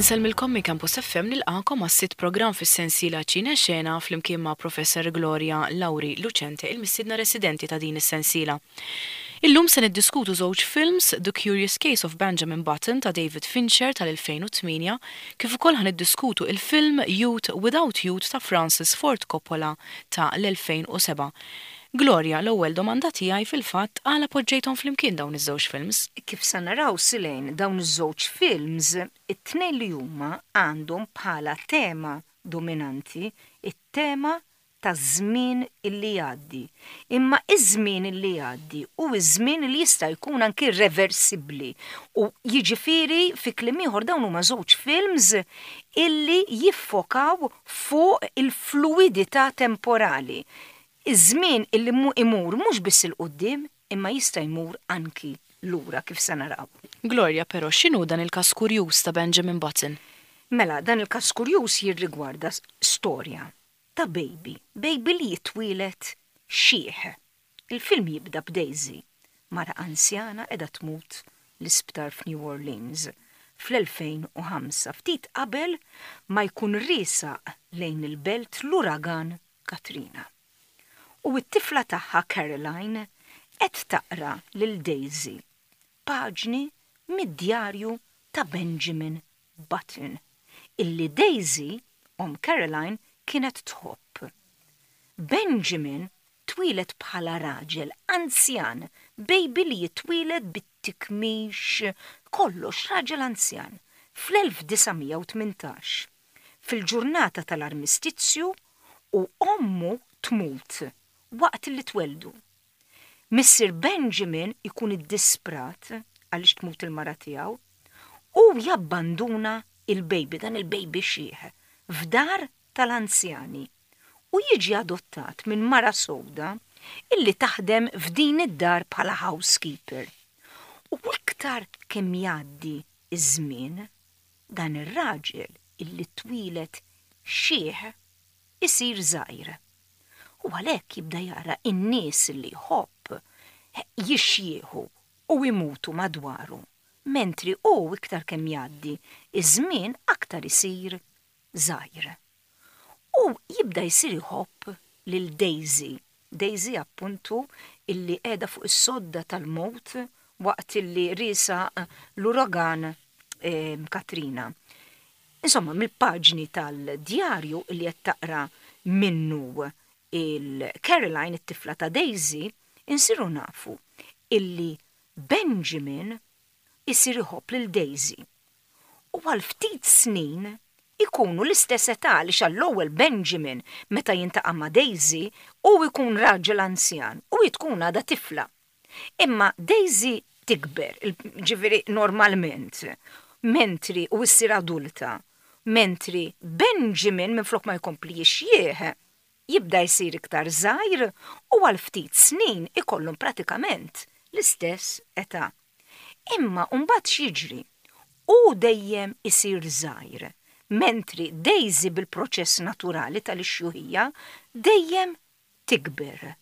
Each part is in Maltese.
Insellmilkom minn Campus FM nilqakom għas-sitt programm fis-sensiela Ċine Xena flimkien ma' Professor Gloria Lauri Lucente, il-mistiedna residenti ta' din is-sensiela. Illum se niddiskutu żewġ films, The Curious Case of Benjamin Button ta' David Fincher tal-2008, kif ukoll ħa niddiskutu il-film Youth Without Youth ta' Francis Ford Coppola ta' l-2007. Gloria, l-ewwel domanda tiegħi fil-fatt għala poġġejthom flimkien dawn iż-żewġ films? Kif sa naraw Silene, dawn iż-żewġ films, it-tnejn li huma għandhom bħala tema dominanti t-tema taż-żmien illi jgħaddi. Imma iż-żmien illi jgħaddi hu ż-żmien li jista' jkun anki reversibbli. U jiġifieri fi kliem ieħor dawn huma żewġ films illi jiffokaw fuq il-fluwidità temporali. Iż-żmien illi imur mhux biss 'il quddiem imma jista' jmur anki lura kif se naraw. Gloria, però x'inhu dan il-każ kurjuż ta' Benjamin Button? Mela, dan il-każ kurjuż jirrigwarda storja ta' baby, baby li jitwieled xiħ. Il-film jibda b'Daisy, mara anzjana qiegħda tmut l-isptar f'New Orleans fl-2005, ftit qabel ma jkun riesaq lejn il-belt l-uragan Katrina. U t-tifla tagħha Caroline qed taqra lil Daisy paġni mid-djarju ta' Benjamin Button, illi Daisy, omm Caroline, kienet tħobb. Benjamin twieled bħala raġel anzjan, baby li jitwieled bit-tikmix, kollox, raġel anzjan, fl-1918, fil-ġurnata tal-armistizzju u ommu tmut waqt li twelldu. Missier Benjamin ikun iddisprat għaliex tmut il-mara tiegħu u jabbanduna il-baby, dan il-baby xiħ, f'dar tal-anzjani u jiġi adottat minn mara sewda illi taħdem f'din id-dar bħala housekeeper. U iktar kemm jgħaddi ż-żmien, dan ir-raġel illi twieled xiħ isir żgħir. U għalhekk jibda jara n-nies li jħobb jixjieħu u jmutu madwaru, mentri hu iktar kemm jgħaddi ż-żmien aktar isir żgħir. U jibda jsir iħobb lil Daisy, Daisy appuntu illi qiegħda fuq is-sodda tal-mewt waqt illi riesaq l-uragan Katrina. Insomma, mill-paġni tal-djarju li qed taqra minnu il-Caroline, it-tifla ta' Daisy, insiru nafu illi Benjamin isir iħobb lil Daisy. U għal ftit snin ikunu l-istess età għaliex għall-ewwel Benjamin meta jintaqa' ma' Daisy hu jkun raġel anzjan u hi tkun għadha tifla. Imma Daisy tikber, ġifieri normalment, mentri u ssir adulta, mentri Benjamin minflok ma jkompli jixjieħ, jibda jsir iktar żgħir u għal ftit snin ikollhom pratikament l-istess età. Imma mbagħad x'jiġri? Hu dejjem isir żgħir, mentri Daisy bil-proċess naturali tal-ixjuħija dejjem tikber.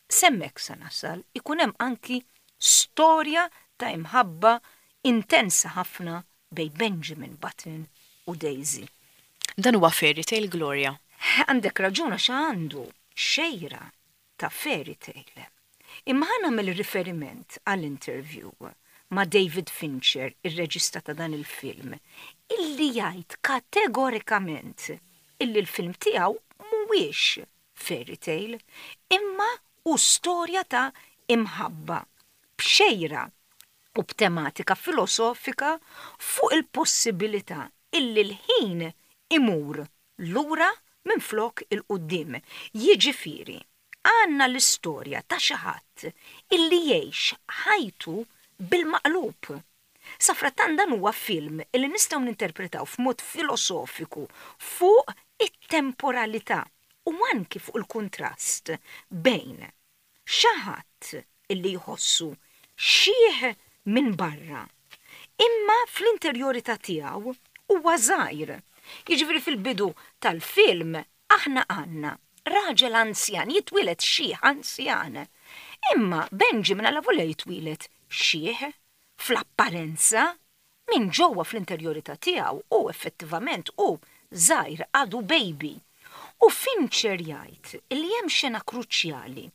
S'hemmhekk sa nasal, ikun hemm anki storja ta' imħabba intensa ħafna bejn Benjamin Button u Daisy. Dan huwa fairy tale, Gloria. Għandek raġun għax għandu xejra ta' fairy tale. Imma ħa nagħmel riferiment għal interview ma' David Fincher, ir-reġista ta' dan il-film, illi jgħid kategorikament illi l-film tiegħu mhuwiex fairy tale, imma hu storja ta' imħabba, b'xejra u b'tematika filosofika fuq il-possibilità illi l-ħin imur lura minflok 'il quddiem. Jiġifieri, għandna l-istorja ta' xi ħadd illi jgħix ħajtu bil-maqlub. Safrattant dan huwa film illi nistgħu ninterpretaw f'mod filosofiku fuq it-temporalità u anki fuq il-kuntrast bejn xi ħadd illi jħossu xiħ minn barra imma fl-interjorità tiegħu huwa żgħir. Jiġifieri fil-bidu tal-film aħna għandna raġel anzjan jitwieled xiħ anzjan. Imma Benjamin allavolja jitwieled xiħ fl-apparenza, Minn ġewwa fl-interjorità tiegħu hu effettivament hu żgħir għadu baby. U Fincher jgħid li hemm xena kruċjali.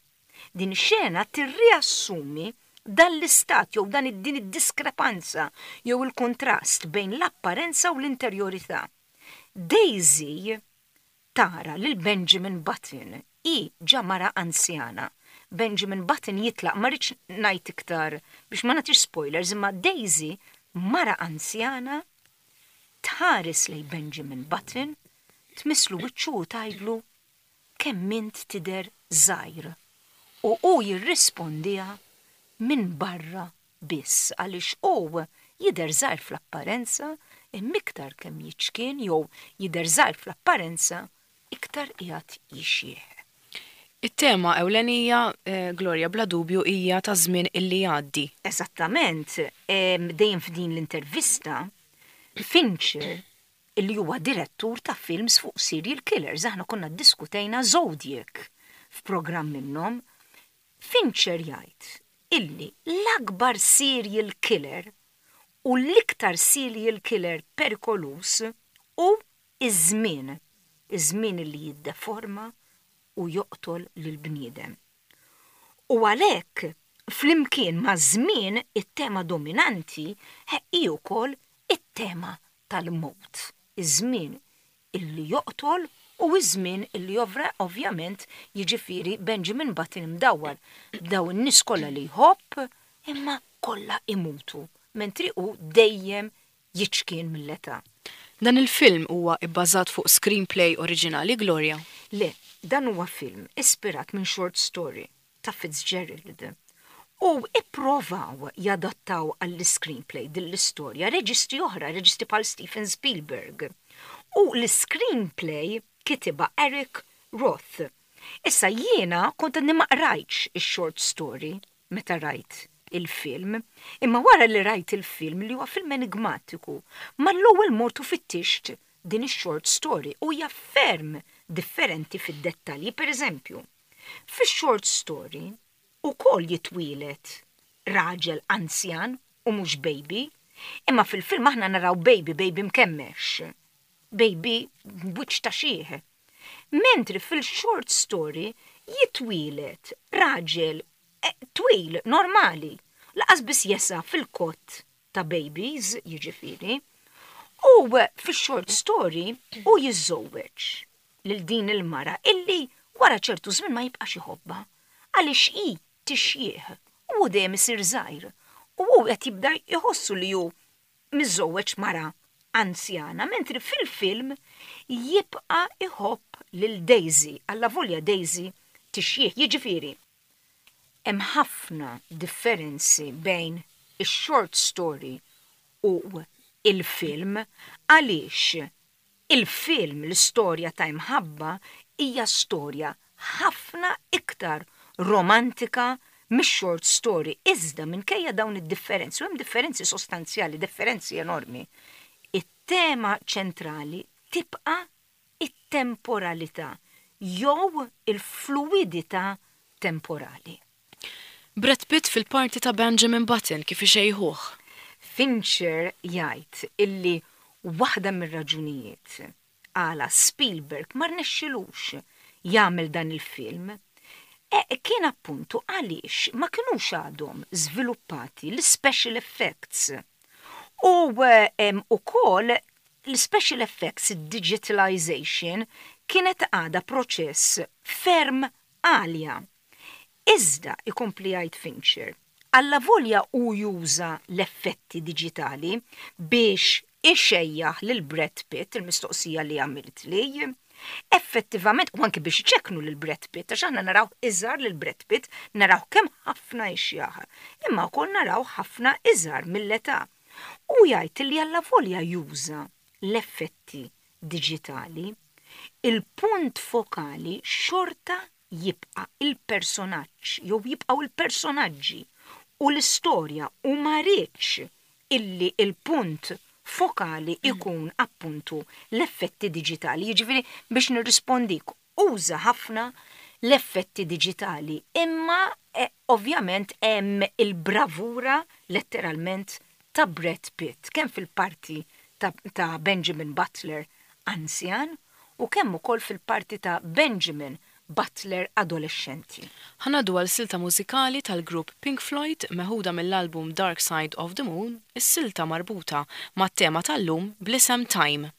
Din ix-xena tirriassumi dan l-istat jew dan din id-diskrepanza jew il-kuntrast bejn l-apparenza u l-interjorità. Daisy tara lil Benjamin Button, hi ġa mara anzjana. Benjamin Button jitlaq, ma rridx ngħid iktar biex ma nagħtix spoilers, imma Daisy, mara anzjana, tħares lejn Benjamin Button, tmisslu wiċċu u tgħidlu kemm int tidher żgħir. U hu jirrispondiha minn barra biss għaliex hu jidher żgħir fl-apparenza imma iktar kemm jiċkien jew jidher żgħir fl-apparenza iktar qiegħed jixjieħ. It-tema ewlenija, Gloria, bla dubju hija taż-żmien illi jgħaddi. Eżattament, dejjem f'din l-intervista, Fincher, illi huwa direttur ta' films fuq serial killers, aħna konna ddiskutejna Zodiac f'programm minnhom, Fincher jgħid illi l-akbar serial killer u l-iktar serial killer perikoluż hu ż-żmien, iż-żmien illi jiddeforma u joqtol lill-bniedem. U għalhekk, flimkien maż-żmien, it-tema dominanti hi wkoll it-tema tal-mewt, iż-żmien illi joqtol u ż-żmien illi ovvjament jiġifieri Benjamin Button imdawwar b'dawn in-nies kollha li jħobb imma kollha imutu mentri hu dejjem jiċkien mill-età. Dan il-film huwa ibbażat fuq screenplay oriġinali, Gloria? Le, dan huwa film ispirat minn short story ta' Fitzgerald u ipprovaw jadattaw għall-iscreenplay din l-istorja reġisti oħra, reġisti bħal Steven Spielberg. U l-iscreenplay kitibha Eric Roth. Issa jiena kont għadni ma qrajtx ix-short story meta rajt il-film, imma wara li rajt il-film li huwa film enigmatiku, mal-ewwel mort u fittixt din ix-short story u hija ferm differenti fid-dettalji. Per eżempju, Fix-short story ukoll jitwieled raġel anzjan u mhux baby, imma fil-film aħna naraw baby, baby mkemmex, baby b'wiċċ ta' xiħ. Mentri fil-short story jitwieled raġel twil, normali, laqas biss jesa' fil-kott ta' babies, jiġifieri. U fix-short story hu jiżżewweġ lil din il-mara illi wara ċertu żmien ma jibqax iħobbha għaliex hi tixjieħ u hu dejjem isir żgħir u hu qed jibda jħossu li hu miżżewweġ mara anzjana mentri fil-film jibqa' jħobb lil Daisy allavolja Daisy tixjieħ. Jiġifieri, hemm ħafna differenzi bejn ix-short story u l-film għaliex Il-film, l-istorja ta' imħabba hija storja ħafna iktar romantika mix-short story iżda minkejja dawn id-differenzi, u hemm differenzi sostanzjali, differenzi enormi, it-tema ċentrali tibqa' it-temporalità jew il-fluwidità temporali. Brad Pitt fil-parti ta' Benjamin Button kif ixejħuh. Fincher jgħid illi waħda mir-raġunijiet għala Spielberg ma rnexxilux jagħmel dan il-film kien appuntu għaliex ma kinux għadhom żviluppati l-ispecial effects u ukoll l-ispecial effects, id-digitalization kienet għadha proċess ferm għalja. Iżda, ikompli jgħid Fincher, allavolja hu juża l-effetti diġitali biex ixejjaħ lil Brad Pitt, il-mistoqsija li għamiltli, effettivament, u anki biex iċekknu lil Brad Pitt, għax aħna naraw iżgħar lil Brad Pitt, naraw kemm ħafna ixjaħ, imma wkoll naraw ħafna iżgħar mill-età. Hu jgħid li allavolja juża l-effetti diġitali, il-punt fokali xorta jibqa' il-personaġġ jew jibqgħu l-personaġġi u l-istorja u ma riedx illi l-punt fokali jkun appuntu l-effetti diġitali. Jiġifieri biex nirrispondik, uża ħafna l-effetti diġitali imma ovvjament hemm il-bravura letteralment ta' Brad Pitt, kemm fil-parti ta', ta Benjamin Butler anzjan u kemm ukoll fil-parti ta' Benjamin Butler adolexxenti. Ħa ngħaddu għal silta mużikali tal-grupp Pink Floyd meħuda mill-album Dark Side of the Moon, is-silta marbuta mat-tema tal-lum bl-isem Time.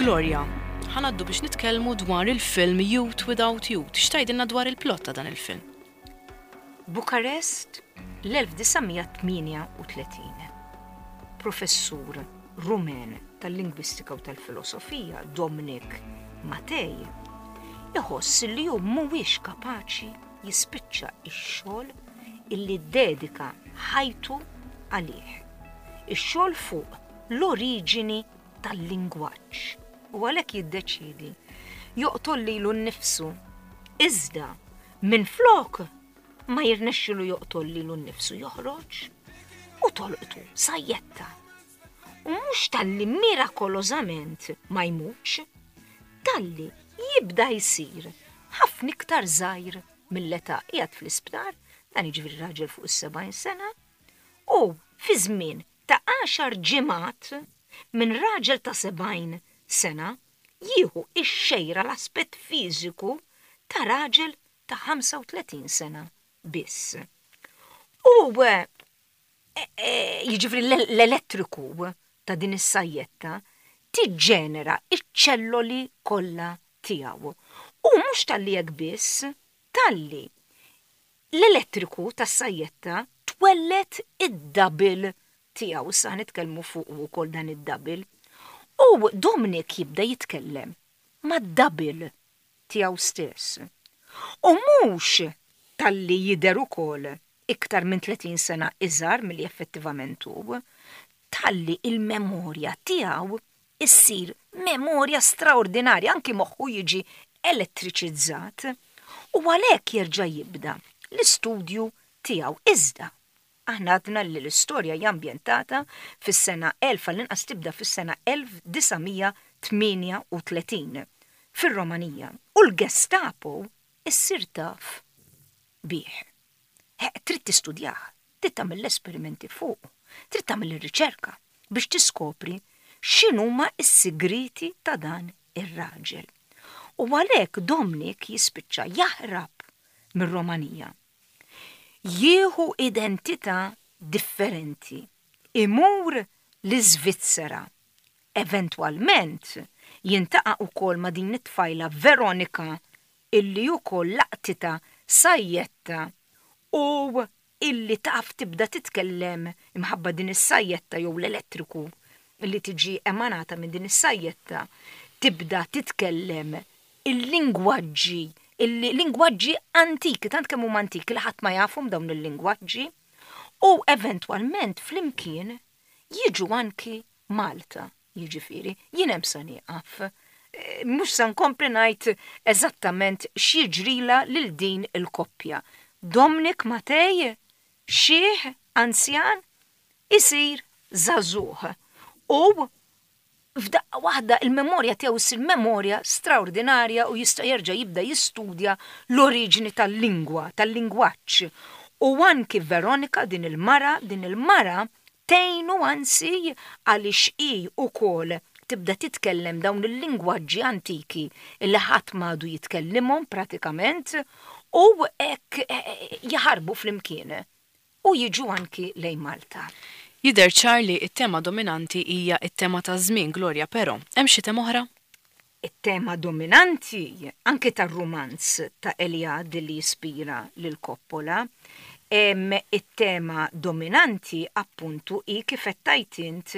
Gloria, ħa ngħaddu biex nitkellmu dwar il-film Youth Without Youth. X'tgħidilna dwar il-plot ta' dan il-film? Bukarest, l-1938. Professur Rumen tal-lingwistika u tal-filosofija, Dominic Matei, iħoss li hu mhuwiex kapaċi jispiċċa x-xogħol illi ddedika ħajtu għalih, ix-xogħol fuq l-oriġini tal-lingwaġġ, u għalhekk jiddeċiedi joqtol lilu nnifsu. Iżda, minflok ma jirnexxilu joqtol lilu nnifsu joħroġ u tolqtu sajjetta. U mhux talli mirakolożament ma jmutx, talli jibda jsir ħafna iktar żgħir mill-età qiegħed fl-isptar, dan jiġifieri raġel fuq is-70 sena, u fi żmien ta' għaxar ġimgħat minn raġel ta' 70 sena jieħu x-xejra l-aspett fiżiku ta' raġel ta' 35 sena biss. U jiġifieri l-elettriku ta' din is-sajjetta tiġġenera ċ-ċelloli kollha tiegħu. U mhux talli hekk biss, talli l-elettriku tas-sajjetta twelled id-double tiegħu, issa ħa nitkellmu fuqu wkoll dan id-double. U Dominic jibda jitkellem mad-double tiegħu stess. U mhux talli jidher ukoll iktar minn 30 sena iżgħar milli effettivament hu, talli il-memorja tiegħu issir memorja straordinarja, anki moħħu jiġi elettriċizzat u għalhekk jerġa' jibda l-istudju tiegħu. Iżda, aħna għadna li l-istorja hija ambjentata fis-sena 1000, għall-inqas tibda fis-sena 1938 fir-Romanija u l-Gestapo issir taf bih. Trid tistudjah, trid tagħmel l-esperimenti fuqu, trid tagħmel ir-riċerka biex tiskopri x'inhuma s-sigrieti ta' dan ir-raġel. U għalhekk Dominic jispiċċa jaħrab mir-Romanija. Jieħu identità differenti, imur l-Iżvizzera. Eventwalment jintaqa' ukoll ma' din it-tfajla Veronika illi ukoll laqtitha sajjetta u illi taf tibda titkellem imħabba din is-sajjetta jew l-elettriku li tiġi emanata minn din is-sajjetta tibda titkellem il-lingwaġġi illi lingwaġġi antiki, tant kemm huma antiki li ħadd ma jafhom dawn il-lingwaġġi u eventwalment flimkien jiġu anki Malta, jiġifieri, jien hemm sa nieqaf. Mhux sa nkompli ngħid eżattament x'jiġrilha lil din il-koppja. Dominic Matei, xiħ? anzjan isir żagħżugħ u f'daqqa waħda il-memorja tiegħu ssir memorja straordinarja u jista' jerġa' jibda jistudja l-oriġini tal-lingwa, tal-lingwaġġ. U anki Veronika din il-mara, din il-mara tgħinu anzi għaliex hi wkoll tibda titkellem dawn il-lingwaġġi antiki li ħadd m'għadu jitkellimhom pratikament u hekk jaħarbu flimkien u jiġu anki lejn Malta. Jidher ċar li t-tema dominanti hija t-tema taż-żmien, Gloria, però, hemm xi tema oħra? It-tema dominanti, anki tar-rumanz ta' Eliade li jispira lil Coppola, it-tema dominanti appuntu hi kif qed tgħid int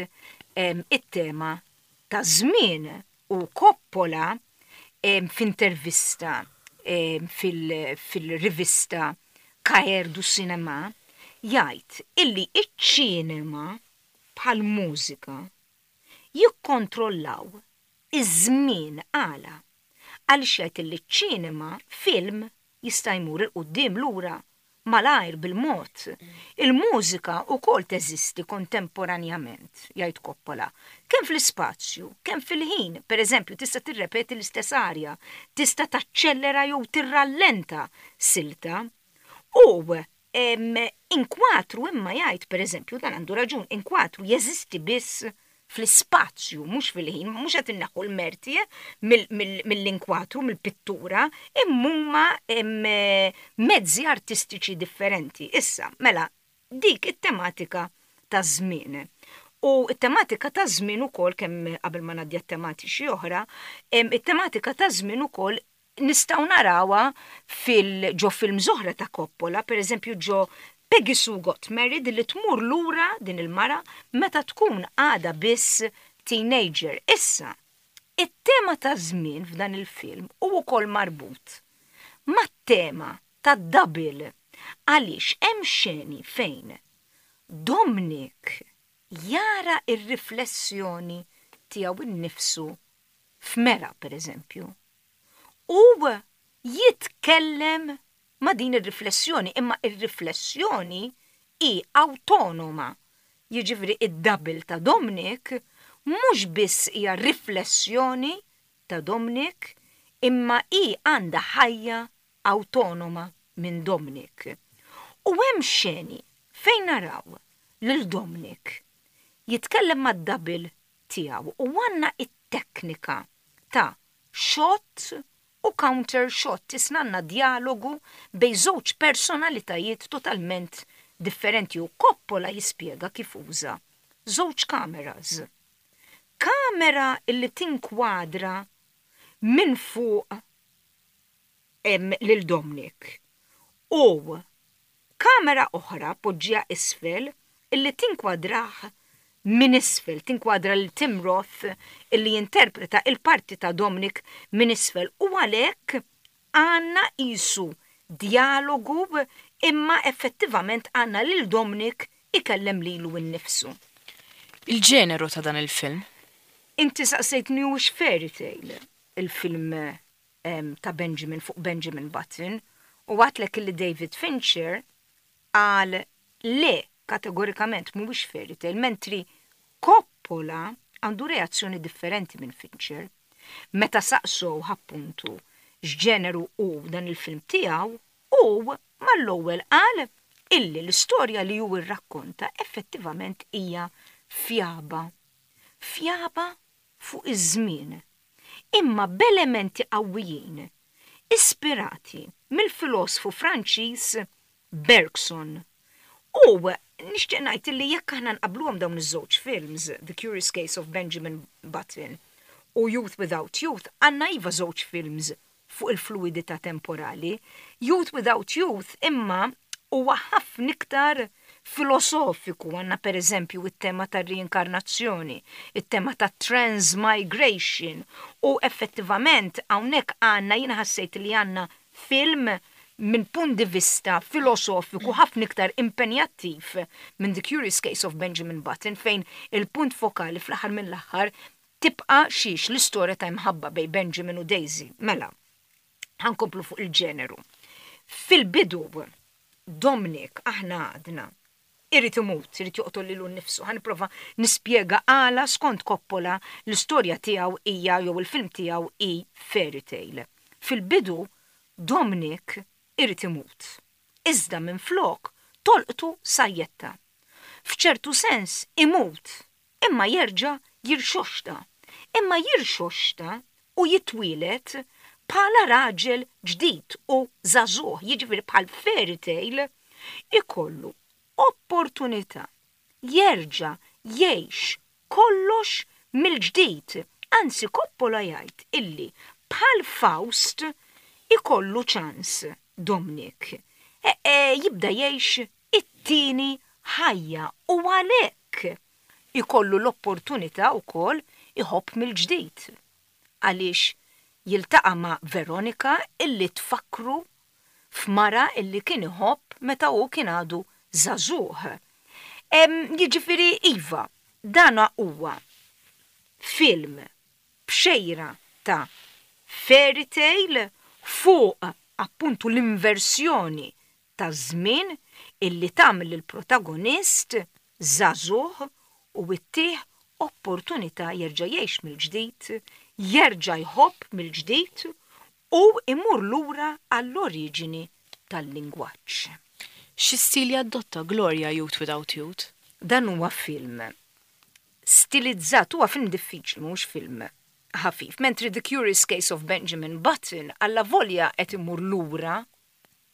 it-tema taż-żmien u Coppola f'intervista fil-rivista Cahiers du Cinéma jgħid illi ċ-ċinema bħall-mużika jikkontrollaw iż-żmien għala? Għaliex jgħid illi ċ-ċinema, film, jista' jmur 'il quddiem, lura, malajr, bil-mod. Il-mużika wkoll teżisti kontemporanjament, jgħid Coppola, kemm fl-ispazju, kemm fil-ħin, pereżempju tista' tirrepeti l-istess arja, tista' taċċellera jew tirrallenta silta. U Inkwatru imma jgħid, pereżempju, dan għandu raġun, inkwatru jeżisti biss fl-ispazju, mhux fil-ħin, mhux qed inneħħu l-merti mill-inkwatru, mill-pittura, imma huma mezzi artistiċi differenti. Issa, mela, dik it-tematika taż-żmien. U t-tematika taż-żmien ukoll kemm qabel ma ngħaddi għat-tematiċi oħra, it-tematika taż-żmien ukoll nistgħu narawha fil ġo films oħra ta' Coppola, per eżempju ġo Peggy Sue Got Married li tmur lura din il-mara meta tkun għadha biss teenager. Issa, it-tema taż-żmien f'dan il-film hu wkoll marbut mat-tema tad-double għaliex hemm xeni fejn Dominic jara r-riflessjoni tiegħu nnifsu f'mera, per eżempju, u jitkellem ma' din ir-riflessjoni, imma r-riflessjoni hi awtonoma. Jiġifieri id-double ta' Dominic mhux biss hija riflessjoni ta' Dominic, imma hi għandha ħajja awtonoma minn Dominic. U hemm xeni fejn naraw lil Dominic jitkellem mad-double tiegħu u għandna t-teknika ta' shot u counter shot, isna għandna djalogu bejn żewġ personalitajiet totalment differenti u Coppola jispjega kif uża żewġ cameras. Kamera illi tinkwadra minn fuq lil Dominic u kamera oħra poġġija isfel illi tinkwadrah minn isfel, tinkwadra lil Tim Roth illi jinterpreta il-parti ta' Dominic minn isfel u għalhekk għandna qisu djalogu imma effettivament għandna lil Dominic ikellem lilu nnifsu. Il-ġeneru ta' dan il-film? Inti saqsejtni huwiex fairy tale il-film ta' Benjamin fuq Benjamin Button u għedtlek illi David Fincher qal le kategorikament mhuwiex fairy tale, mentri Coppola għandu reazzjoni differenti minn Fincher. Meta saqsow appuntu x'ġeneru hu dan il-film tiegħu, hu mal-ewwel qal illi l-istorja li hu rrakkonta effettivament hija fjaba. Fjaba fuq iż-żmien, imma b'elementi qawwijin ispirati mill-filosfu Franċiż Bergson. U nixtieq ngħid li jekk aħna nqabbluhom dawn iż-żewġ films, The Curious Case of Benjamin Button u Youth Without Youth, għandna iva żewġ films fuq il-fluidità temporali. Youth Without Youth imma huwa ħafna iktar filosofiku għandna per eżempju it-tema tar-reinkarnazzjoni, it-tema ta' transmigration u effettivament hawnhekk għandna jiena ħassejt li għandna film minn punt di vista filosofiku ħafna iktar impenjattiv minn The Curious Case of Benjamin Button fejn il-punt fokali fl-aħħar mill-aħħar tibqa' xiex l-istorja ta' imħabba bejn Benjamin u Daisy. Mela, ħa nkomplu fuq il-ġeneru. Fil-bidu, Dominic, aħna għadna, Irid imut, irid joqtol lilu nnifsu. Ħa nipprova nispjega għala skont Coppola l-istorja tiegħu hija jew il-film tiegħu hi fairy tale. Fil-bidu Dominic irid imut. Iżda minflok tolqtu sajjetta. F'ċertu sens imut imma jerġa' jirxoxta. Imma jirxoxta u jitwieled bħala raġel ġdid u żagħżugħ, jiġifieri bħal fairy tale, ikollu opportunità jerġa' jgħix kollox mill-ġdid. Anzi Coppola jgħid illi bħal Faust ikollu ċans Dominic jibda jgħix it-tieni ħajja u għalhekk ikollu l-opportunità wkoll iħobb mill-ġdid għaliex jiltaqa' ma' Veronica illi tfakkru f'mara illi kien iħobb meta hu kien għadu żagħżugħ. Jiġifieri iva, dan huwa film b'xejra ta' fairy tale fuq appuntu l-inversjoni taż-żmien illi tagħmel lill-protagonist żagħżugħ u ttih opportunità jerġa' jgħix mill-ġdid, jerġa' jħobb mill-ġdid u jmur lura għall-oriġini tal-lingwaġġ. Xi stil jadotta Gloria Youth Without Youth? Dan huwa film stilizzat, huwa film diffiċli, mhux film ħafif. Mentri The Curious Case of Benjamin Button allavolja qed imur lura,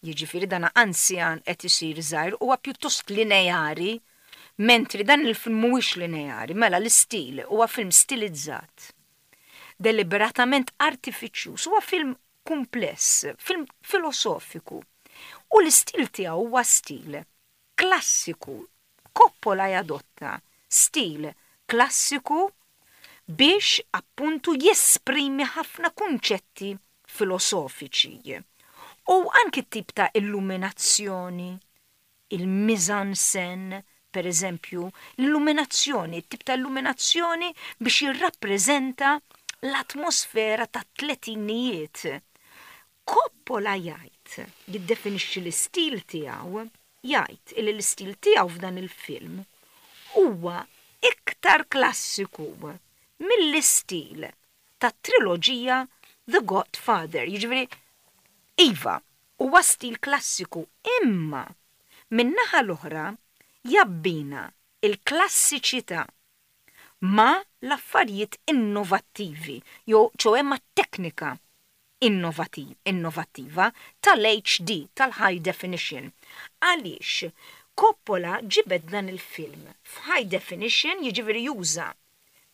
jiġifieri dan anzjan qed isir żgħir, huwa pjuttost lineari, mentri dan il-film mhuwiex lineari, mela l-istil huwa film stilizzat. Deliberatament artifiċjuż, huwa film kumpless, film filosofiku. U l-istil tiegħu huwa stil klassiku. Coppola jadotta stil klassiku biex appuntu jesprimi ħafna kunċetti filosofiċi. U anki t-tip ta' illuminazzjoni, il-mise-en-scène, per eżempju, l-illuminazzjoni, t-tip ta' illuminazzjoni biex jirrappreżenta l-atmosfera ta' tletinijiet. Coppola jgħid, jiddefinixxi l-istil tiegħu, jgħid li l-istil tiegħu f'dan il-film huwa iktar klassiku mill-istil tat-triloġija The Godfather. Jiġifieri, iva, huwa stil klassiku, imma min-naħa l-oħra jabbina il-klassiċità ma' l-affarijiet innovattivi, jew ċoe ma' teknika innovattiva tal-HD, tal-high definition. Għaliex Coppola ġibed dan il-film f'high definition, jiġifieri juża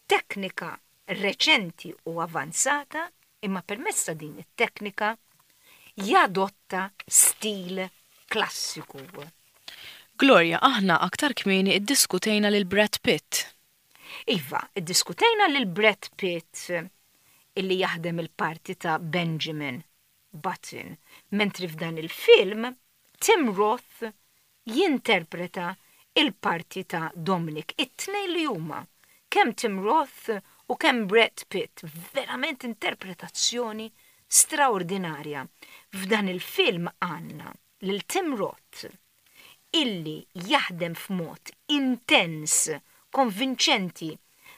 teknika reċenti u avanzata, imma permezz ta' din it-teknika jadotta stil klassiku. Gloria, aħna aktar kmieni iddiskutejna lil Brad Pitt. Iva, iddiskutejna lil Brad Pitt illi jaħdem il-parti ta' Benjamin Button, mentri f'dan il-film Tim Roth jinterpreta il-parti ta' Dominic. It-tnejn li huma, kemm Tim Roth u kemm Brad Pitt, verament interpretazzjoni straordinarja. F'dan il-film għandna lil Tim Roth illi jaħdem f'mod intens, konvinċenti,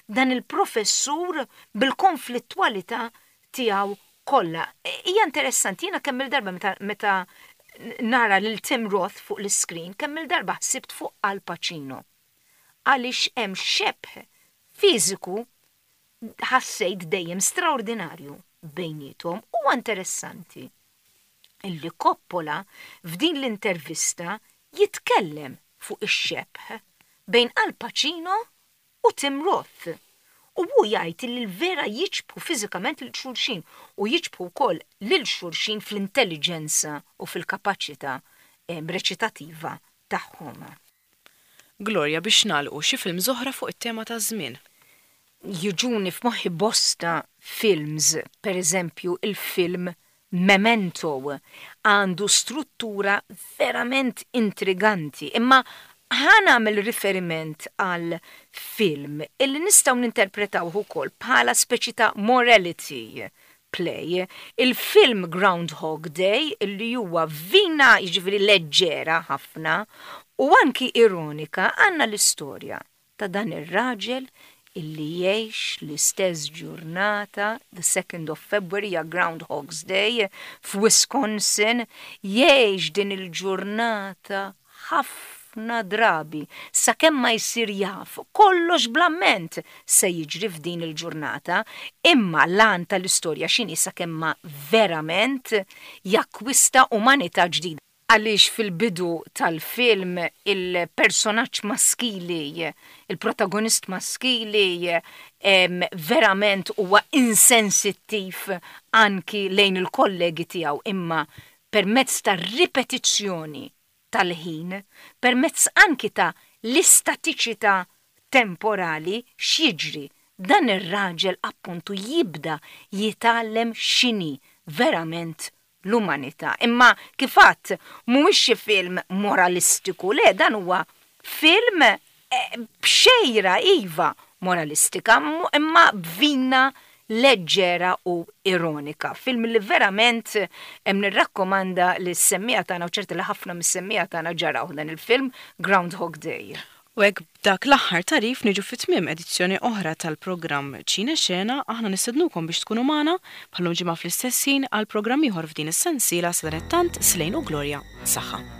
dan il-professur bil-konflittwalità tiegħu kollha. Hija interessanti, jiena kemm il-darba meta nara lil Tim Roth fuq l-iskrin, kemm il-darba ħsibt fuq Al Pacino. Għaliex hemm xebh fiżiku ħassejt dejjem straordinarju bejniethom. Huwa interessanti illi Coppola f'din l-intervista jitkellem fuq ix-xebh bejn Al Pacino u Tim Roth. U hu jgħid li l-vera jiġbħu fiżikament lil xulxin u jiġbħu wkoll lil xulxin fl-intelliġenza u fil-kapaċità reċitativa tagħhom. Gloria, biex nagħlqu, xi films oħra fuq it-tema taż-żmien? Jiġuni f'moħħi bosta films, per eżempju il-film Memento għandu struttura verament intriganti, imma ħa nagħmel riferiment għal film illi nistgħu ninterpretawh ukoll bħala speċi ta' morality play, il-film Groundhog Day illi huwa vina jiġifieri leġġera ħafna. u anki ironika għandna l-istorja ta' dan ir-raġel illi jgħix l-istess ġurnata, the second of February hija Groundhog's Day, f'Wisconsin, jgħix din il-ġurnata ħafna drabi sakemm ma jsir jaf kollox bl-amment se jiġri f'din il-ġurnata, imma l-għan tal-istorja x'inhi sakemm ma verament jakkwista umanità ġdida. Għaliex fil-bidu tal-film il-personaġġ maskili, il-protagonist maskili verament huwa insensittiv anki lejn il-kollegi tiegħu imma permezz ta' ripetizzjoni tal-ħin, permezz anki ta' l-istatiċità temporali x'jiġri? Dan ir-raġel appuntu jibda jitgħallem x'inhi verament l-umanità. Imma kif għedt, mhuwiex xi film moralistiku, le dan huwa film b'xejra iva moralistika, imma b'vina leġġera u ironika. Film li verament nirrakkomanda lis-semmiegħa tagħna u ċerti li ħafna mis-semmiegħa tagħna ġa raw dan il-film Groundhog Day. U hekk b'dak l-aħħar tagħrif niġu fi tmiem edizzjoni oħra tal-programm Ċine Xena, aħna nistednukom biex tkunu magħna bħal-lum ġimgħa fl-istess ħin għal programm ieħor f'din is-sensiela sadanittant Slejn u Glorja. Saħħa.